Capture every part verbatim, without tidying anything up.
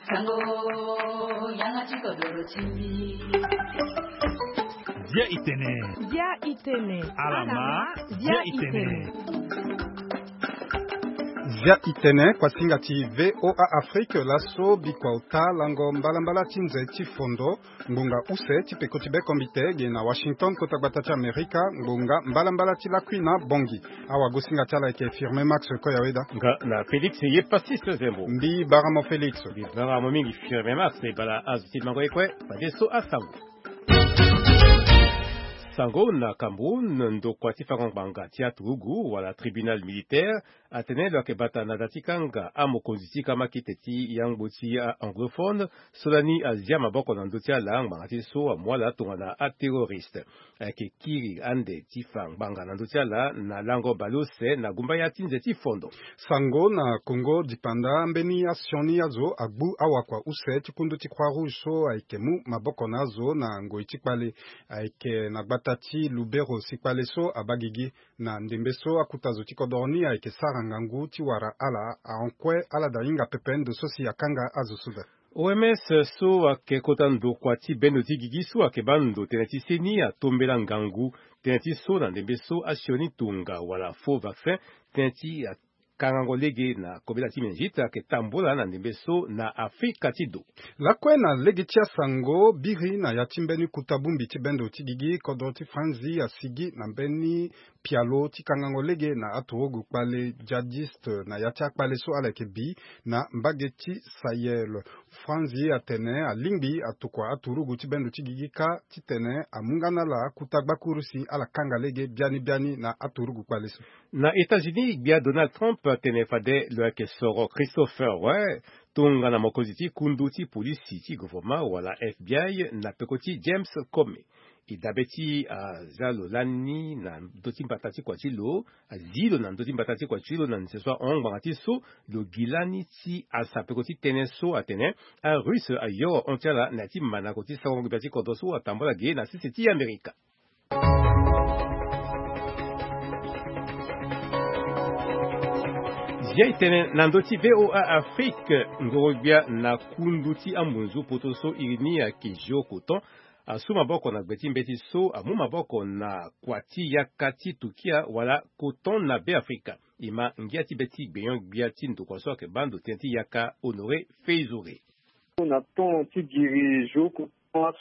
Sango, yanga ti kodoro ti mbi. Dia itene. Dia itene. Alama. Dia itene. Dia itene, kuasinga ti V O A Afrique, laso bikua ota lango mbalambala ti nze ti fondo. Ngbonga use ti peko ti bekombite ge na Washington, kota gbata ti Amerika, ngbonga mbalambala ti lakui na bongi. Awagosinga ti ala ayeke Firmin Max Koyaweda. Nga na Félix ye Pastis Zembo. Mbi bara mo Félix. Mbi bara mo mingi Firmin Max, e bala azo ti mango ye kue, fadeso asango. Sango na Cameroun, ndokua ti fango ngbanga ti aturugu wala tribunal militaire atene lo yeke bata na da ti kanga amokonzi ti kamakite ti yangbo ti a-anglophone, so lani azia maboko na ndö ti ala ngbanga ti so amu ala tongana aterroriste. Ayeke kiri ande ti fa ngbanga na ndö ti ala na lango baleuse na gumbaya ti nze ti fondo. Sango na Congo dipanda, mbeni asioni azo agbu awakua use ti kundu ti Croix Rouge so ayeke mu maboko na azo na ngoi ti kpale. Ayeke na gbata ti Lubero si kpale so abaa gigi. Na ndembe so akuta zo ti kodoro ni ayeke sara ngangu ti wara ala ahon kue, ala da hinga pepe ndo so si akanga azo so daa. O M S so ayeke kota ndokua ti bendo ti gigi so ayeke baa ndo tënë ti seni atombela ngangu tënë ti so na ndembe so asioni tonga wala faux vaccin, tënë ti kangango lege na kobela ti meningite ayeke tambula na ndembe so na Afrika ti do. Lakue na lege ti asango, biri na ya ti mbeni kuta bongbi ti bendo ti gigi, kodro ti Franzi asigi na mbeni pialo ti kangango lege na aturugu kpale djihadiste na ya ti akpale so ala yeke bi na mbage ti Sahel. Franzi atene alingbi atokua aturugu ti bendo ti gigi kâ titene amu nga na ala kuta gbakuru si ala kanga lege biani biani na aturugu kpale so. Na États-Unis, gbia Donald Trump atene fade lo yeke soro Christopher Wray tongana mokonzi ti kundu ti polisi ti gouvernement wala F B I na peko ti James Comey. E dabe ti aza lo lani na ndö ti mbata ti kua ti lo, azi lo na ndö ti mbata ti kua ti lo na nze so ahon ngbanga ti so lo gi lani ti asa peko ti tënë so atene aRusse ayoro hon ti ala na ya ti mandango ti sango gbia ti kodro so atambula ge na sese ti Amerika. Zia e tene na ndö ti V O A Afrique, ngoro-gbia na kundu ti ambunzu poto so iri ni ayeke Géocoton asu maboko na gbe ti mbeti so amu maboko na kua ti yaka ti Turquia wala coton na Beafrika. E ma ngia ti be ti gbenyo-gbia ti ndokua so ayeke baa ndo tënë ti yaka Honoré Feizouré. Na temps ti giri Géocoton,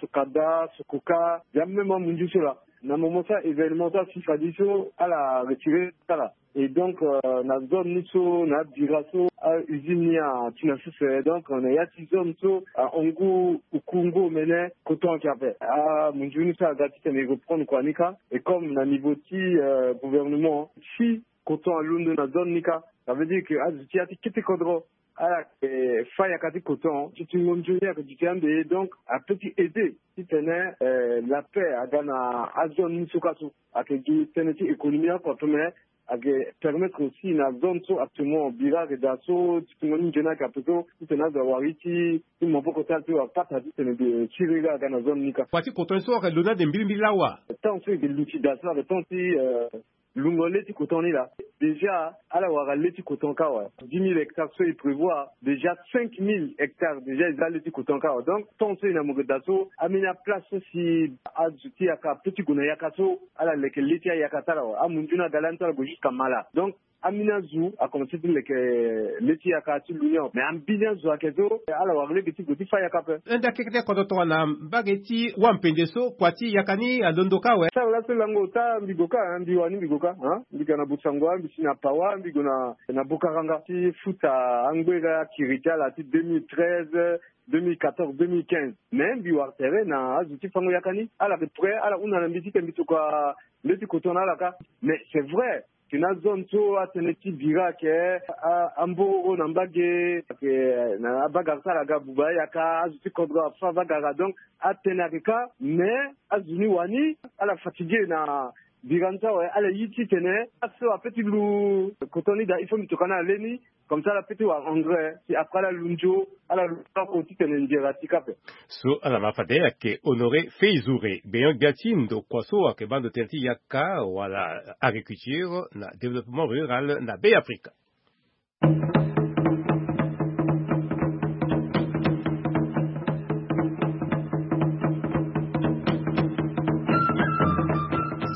Socada, Sococa, ya même amunzu so laa. Na moment so a-événement so asi fadeso ala retiré ti ala. Et donc, euh, na zone ni so na abira so a-usine ni ati na sese. Donc na ya ti zone so ahon ngu, oku ngu omene coton ayeke ape. Amunzu ni so aga titene e reprendre kua ni kâ. Et comme na niveau ti, euh, gouvernement, si coton alondo na zone ni kâ, ça veut dire que azo ti ya ti kete kodro ala yeke fâ yaka ti coton, ti tingo nzoni ayeke duti ande ye. Donc apeut ti aider titene, euh, la paix aga na azone ni so kâ so. Ayeke gi tënë ti économie oko ape, mais ayeke permettre aussi na zone so actuellement bira ayeke daa so, ti tingo ni nzoni ayeke ape so, titene azo awara ye ti, ti maboko ti ala ti wara pata titene ti rega aga na zone ni kâ. Kua ti coton so ayeke lo ni ade mbirimbiri lawa. Temps so e yeke luti daa so ayeke temps ti, euh, lungo le ti coton ni laa. Déjà ala wara le ti coton kâ awe. Dix mille hectares so e prévoir, déjà cinq mille hectares déjà e za le ti coton kâ awe. Donc temps so e na mo yeke daa so, ambeni aplace so si azo ti yaka apeut ti gue na yaka so, ala leke le ti ayaka ti ala awe. Amunzu ni aga lani so ala gue jusqu'à Mala. Donc ambeni azo akomanse ti leke le ti yaka ti lu ni awe. Mais ambeni azo ayeke so ala wara lege ti gue ti fâ yaka ape. Hunda kete kodro tongana mbage ti wampenze so kua ti yaka ni alondo kâ awe. Sara laso lango ota mbi gue kâ, mbi wani mbi gue kâ, hein? Mbi ga na Bossangoa, mbi si na Pawa, mbi gue na, na Bokaranga ti futa angbere akiri ti ala ti deux mille treize, deux mille quatorze, deux mille quinze. Mais mbi wara tere na azo ti fango yaka ni, ala yeke prêt, ala hunda na mbi titene mbi tokua le ti coton na ala kâ. Mais c'est vrai, tena azone so atënë ti bira ayeke, a, ambororo na mbage, ayeke na abagara so ala ga buba ayaka, azo ti kodro afâ abagara. Donc atënë ayeke kâ, mais azo ni wani, ala fatigué na bira ni so awe, ala ye titene aso apeut ti lu coton ni daa, il faut mbi tokua na ala le ni. Comme ça ala peut ti wara engrais, si après ala lu nzo, ala lu oko titene nzere ati kâ ape. So ala ma fade ayeke Honoré Feizouré, gbenyo-gbia ti ndokua so ayeke baa ndo tënë ti yaka wala agriculture na développement rural na Beafrika.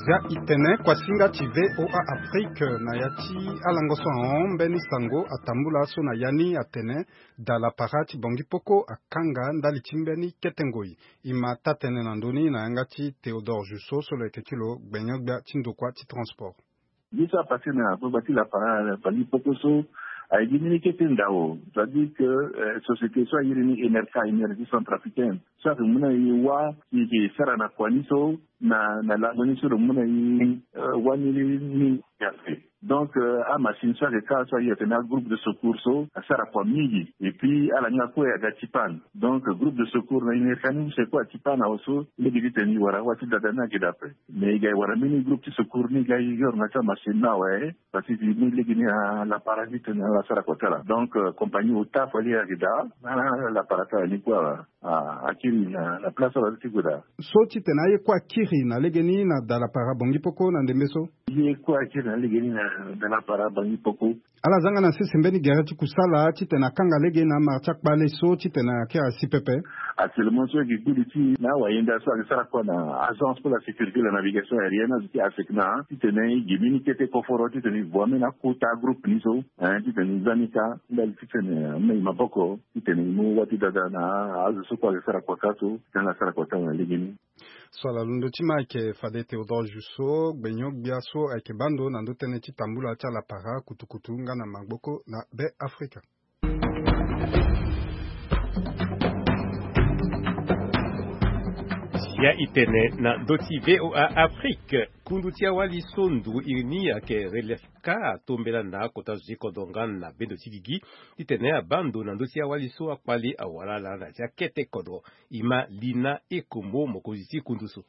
Ga itene kuasinga ti V O A Afrique na ya ti alango so ahon mbeni sango atambula so na ya ni atene, dalapara ti Bongi Poko akanga ndali ti mbeni kete ngoi. I ma taa-tënë na ndö ni na yanga ti Théodore Jusso so lo yeke ti lo gbenyo-gbia ti ndokua ti transport. Ye so apasse na gbagba ti lapara Bongi Poko so, aye gi mbeni kete ndao, c'est-à-dire que, euh, société so airi ni Enerca, Énergie Centrafricaine, so ayeke mu na e wâ si e yeke sara na kua ni so, na na lango ni so lo mu na e, euh, wani ni ape. Donc, euh, amachine so ayeke kâ so aye atene agroupe de secours so asara kua mingi. Et puis ala nga kue aga ti panne. Donc groupe de secours na Enerca ni use kue ati panne awe so, lege ti tene e wara wâ ti dada ni ayeke daa ape. Mais e ga e wara mbeni groupe ti secours ni ga e yoro na ti amachine ni awe. Parce que ni lege ni lapara ti tene ala sara kua ti ala. Donc, euh, compagnie ota fade ayeke daa na lapara ti ala ni kue awe. Ah, akiri na, na place ala ti gue daa. So titene aye kue akiri na lege ni na dalapara Bongi Poko na ndembe so. Ye kue akiri na lege ni na dalapara Bongi Poko. Ala zanga na sese mbeni gere ti kusala titene akanga lege na amara ti akpale so titene akiri asi pepe. Actuellement so e gi kuli ti na awayenda so ayeke sara kua na Agence pour la sécurité de la navigation aérienne, azo ti ASECNA, titene e gi mbeni kete koforo titene e voa mbeni akota groupe ni so, hein, titene e za ni kâ ndali titene, eh, e mu maboko titene e mu wâ ti dada na azo so kue ayeke sara kua kâ so, titene ala sara kua ti ala na lege ni. So ala londo ti ma ayeke fade Théodore Jusso, gbenyo-gbia so ayeke baa ndo na ndö tënë ti tambula ti alapara kutukutu nga na maboko na Be Afrika. Ya itene na ndö ti V O A Afrique, kundu ti awali so nduru iri ni ayeke Relefka atombela na akota zo ti kodro nga na bendo ti gigi, titene abaa ndo na ndö ti awali so akpale awara ala na ya ti akete kodro. I ma Lina Ekombo, mokonzi ti kundu so.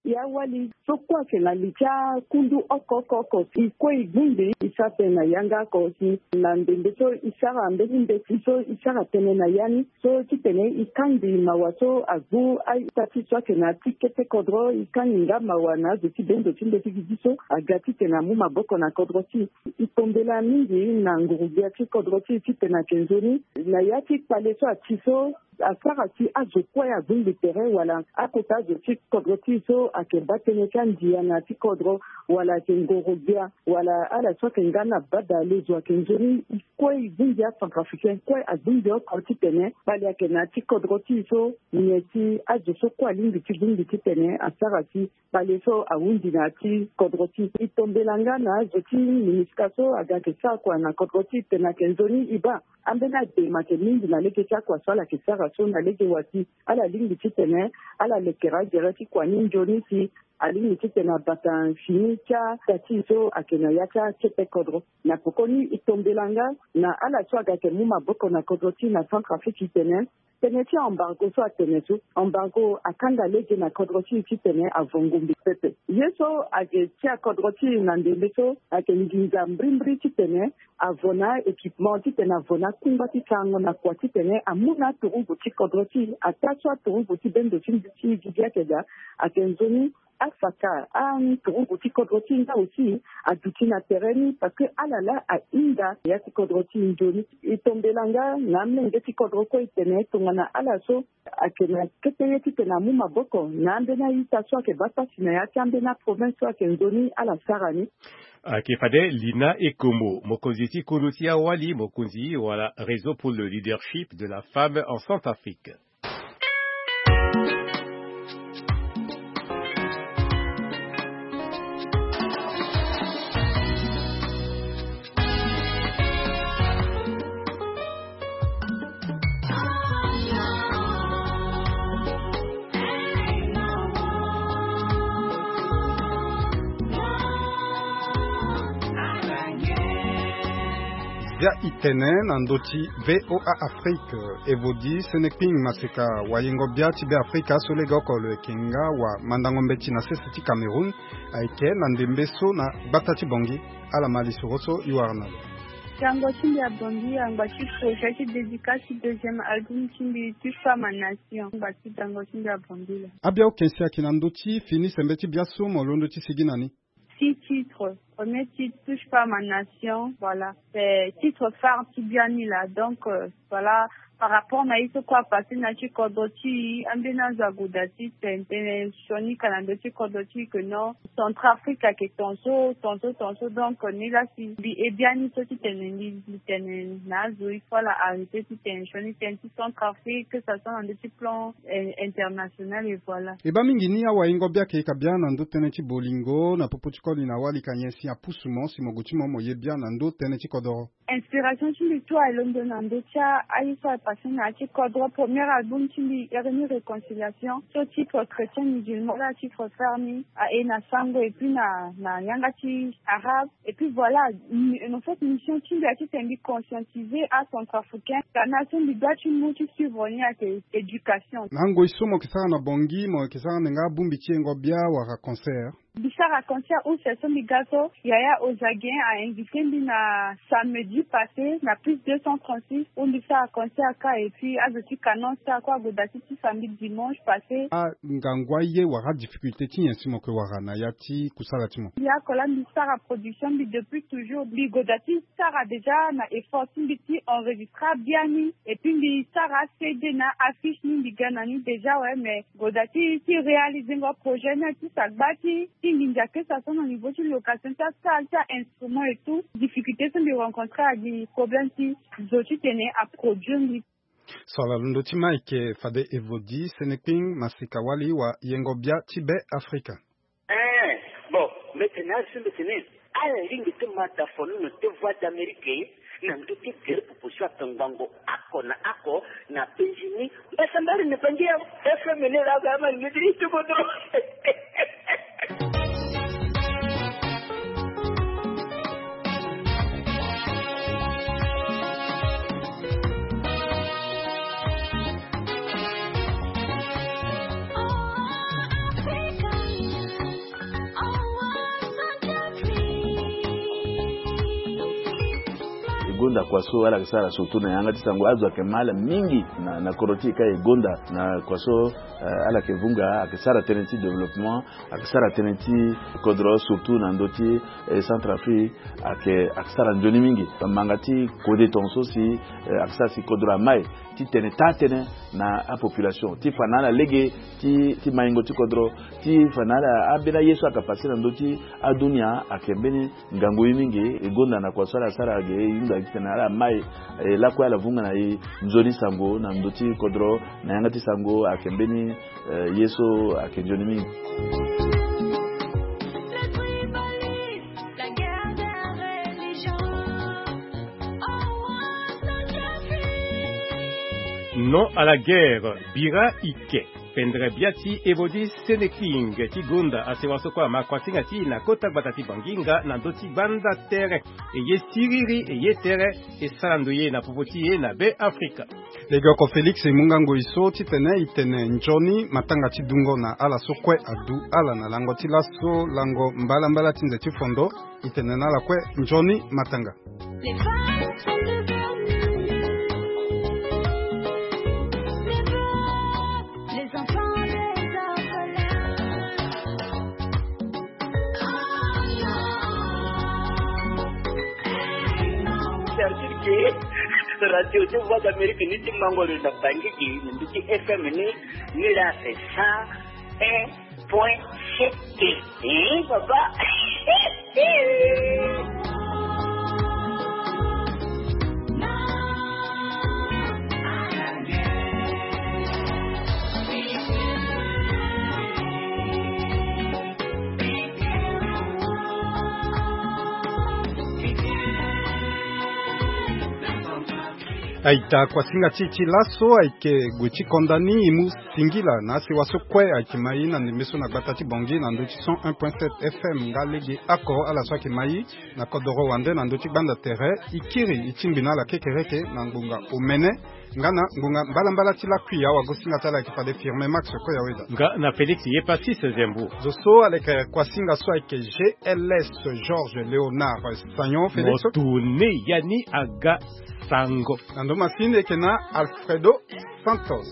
Ya wali so kue ayeke na li ti akundu oko oko oko si, e kue e bongbi e sara tënë na yanga oko si, na ndembe so e sara mbeni mbeti so e sara tënë na ya ni so titene e kangbi mawa so agbu a-ita ti so ayeke na ya ti kete kodro, e kangbi nga mawa na azo ti bendo ti mbeti gigi so aga titene amu maboko na kodro ti e. E tombela mingi na nguru-gbia ti kodro ti e titene ayeke nzoni na ya ti kpale so ati so, asara si azo kue abongbi tere wala akota azo ti kodro ti e so ayeke baa tënë ti andia na ya ti kodro, wala ayeke ngoro-gbia, wala ala so ayeke nga na bada le zo ayeke nzoni. E kue e bongbi acentrafricain kue abongbi oko titene kpale ayeke na ya ti kodro ti e so, nyen ti azo so kue alingbi ti bongbi titene asara si kpale so ahunzi na ya ti kodro ti e. E tombela nga na azo ti MINUSCA so aga ayeke sara kua na kodro ti e titene ayeke nzoni e baa ambeni adema ayeke mingi na lege ti akua so ala yeke sara so na lege wa si ala lingbi titene ala lekere agere ti kua ni nzoni si alingbi titene abata fini ti ata ti e so ayeke na ya ti akete kodro. Na pekoni e tombela nga na ala so aga ayeke mu maboko na kodro ti e na Centrafrique titene tënë ti embargo so atene so, embargo akanga lege na kodro ti e titene avo ngombe pepe. Ye so ayeke tia kodro ti e na ndembe so ayeke nginza mbrimbri titene avo na équipement titene avo na akungba ti sarango na kua titene amu na aturugu ti kodro ti e. Ataa so aturugu ti bendo ti mbi ti e gigi ayeke daa, ayeke nzoni afaka aturugu ti kodro ti e nga aussi aduti na tere ni parce que ala laa ahinga ya ti kodro ti e nzoni. E tombela nga na amolenge ti kodro kue e tene tongana ala so ayeke na kete ye titene amu maboko na ambeni a-ita so ayeke baa pasi na ya ti ambeni aprovince so ayeke nzoni ala sara ni. Ayeke fade Lina Ekombo, mokonzi ti kundu ti awali, mokonzi wala Réseau pour le leadership de la femme en Centrafrique. Bia itene na ndö ti V O A Afrique. Evodi Senekping Maseka, wayengo bia ti Be Afrika so legeoko lo yeke nga wamandango mbeti na sese ti Cameroun, ayeke na ndembe so na gbata ti Bongi. Ala ma lisoro so e wara na lo. Tango ti mbi abongi angba ti projet ti dédicace ti deuxième album ti mbi, Touche pas ma nation. Angba ti tango ti mbi abongi la. Abia okensi ayeke na ndö ti fini sembe ti bia so mo londo ti sigi na ni. Six titres. Premier titre, Touche pas ma nation. Voilà. C'est titre phare ti bia ni la. Donc, euh, voilà. Par rapport na ye so kue apasse na ya ti kodro ti e, ambeni azo ague daa ti tene tënë sioni ka na ndö ti kodro ti e que non, Centrafrique ayeke ton so ton so ton so. Donc ni laa si mbi he biani so ti tene mbi tene na azo il faut ala arrêter ti tene sioni tënë ti Centrafrique, que ça soit na ndö ti plan international et voilà. E baa mingi ni awayengo bia ayeke ka bia na ndö tënë ti bolingo na popo ti koli na wali ka nyen si apusu mo si mo gue ti mo mo ye bia na ndö tënë ti kodoro? Inspiration ti mbi tout alondo na ndö ti aye so apasse na ya ti kodro. Premier album ti mbi iri ni Réconciliation so titre chrétien musulman laa titre frère ni aye na sango et puis na na yanga ti arabe. Et puis voilà, en fait mission ti mbi ya ti tene mbi conscientiser acentrafricain ka na so mbi doit ti mu ti suivre ni ayeke éducation. Na ngoi so mo yeke sara na bongi mo yeke sara ndenga abongbi ti yengo bia wala concert? Mbi sara concert use so mbi ga so yaya Ozagien a invité mbi na samedi passé na plus deux cent trente-six où mbi sara concert ka et puis azo ti Canon star kue ague daa ti ti samedi dimanche passé. Angangu aye wala adifficulté ti nyen si mo yeke wara na ya ti kusala ti mo? Mbi ako laa mbi sara production mbi depuis toujours mbi gue daa ti sara déjà na effort ti mbi ti enregistre abiani et puis mbi sara acd na affiche ni mbi ga na ni déjà ouais mais gue daa ti ti réaliser ngo projet ni ti sa gba ti ti nginza kesa so na niveau ti location ti asal ti ainstrument et tout. Difficulté so mbi rencontre agi problème ti zo ti tene aproduire mbi. So ala londo ti ma ayeke fade Evodi Senekping masika wali wa yengo bia ti Be Afrika. Eh, bon, mbi tene azo mbi tene ala lingbi ti ma dafono na te Voix d'Amérique na ndö ti gere popo so akangbango oko na oko na penzi ni. Mbasambari na bangi ya F M ni laa ga ama lingbi ti ti kodro. E gonda kua so ala yeke sara surtout na yanga ti sango azo ayeke ma ala mingi na na kodro ti e ka e gonda na kua so eh, ala yeke vunga ayeke sara tënë ti développement ayeke sara tënë ti kodro surtout na ndö ti eh, Centrafrique ayeke ayeke sara nzoni mingi. Manga ti kode tongaso si eh, ayeke sara si kodro ama e ti tene taa tënë na apopulation ti fa na ala lege ti ti maingo ti kodro ti fa na ala ambeni aye so ayeke pase na ndö ti adunia ayeke mbeni ngangu ye mingi. E gonda na kua so ala sara ge e hunda gi titene ala mai e lakue ala vunga na e nzoni sango na ndö ti kodro na yanga ti sango ayeke mbeni eh, ye so ayeke nzoni mingi. Non à la guerre, bira ike. Pendere bia ti Evodi Seneking ti gonda asewa so kue ama kuasinga ti e na kota gbata ti Bangi nga na ndö ti gbanda tere. E ye siriri e ye tere e sara ndo ye na popo ti e na Be Afrika. Lege oko Félix e mu nga ngoi so titene e tene nzoni matanga ti dungo na ala so kue adu ala na lango ti laso lango mbalambala ti nze ti fondo. E tene na ala kue nzoni matanga. Certitude ke radio ti Voix d'Amérique ni ti mango lo na Bangi gi na ndö ti F M ni. Ni la c'est ça. Point C T. Hein, papa. Aita kuasinga ti e ti laso ayeke gue ti konda ni e mu singila na asewa so kue ayeke ma e na ndembe so na gbata ti Bangi na ndö ti cent un point sept F M nga lege oko ala so ayeke ma e na kodoro wande na ndö ti gbanda tere. E kiri e tingbi na ala kekereke na ngbonga omene nga na ngbonga mbalambala ti lakui awagosinga ti ala ayeke fade Firme Max kue ya weda. Nga na Félix ye Passis Zembo. Zo so ala yeke kuasinga so ayeke G L S Georges Léonard Sagnon Félix. Mo tune ya ni aga sango. Na ndo masini eke na Alfredo Santos.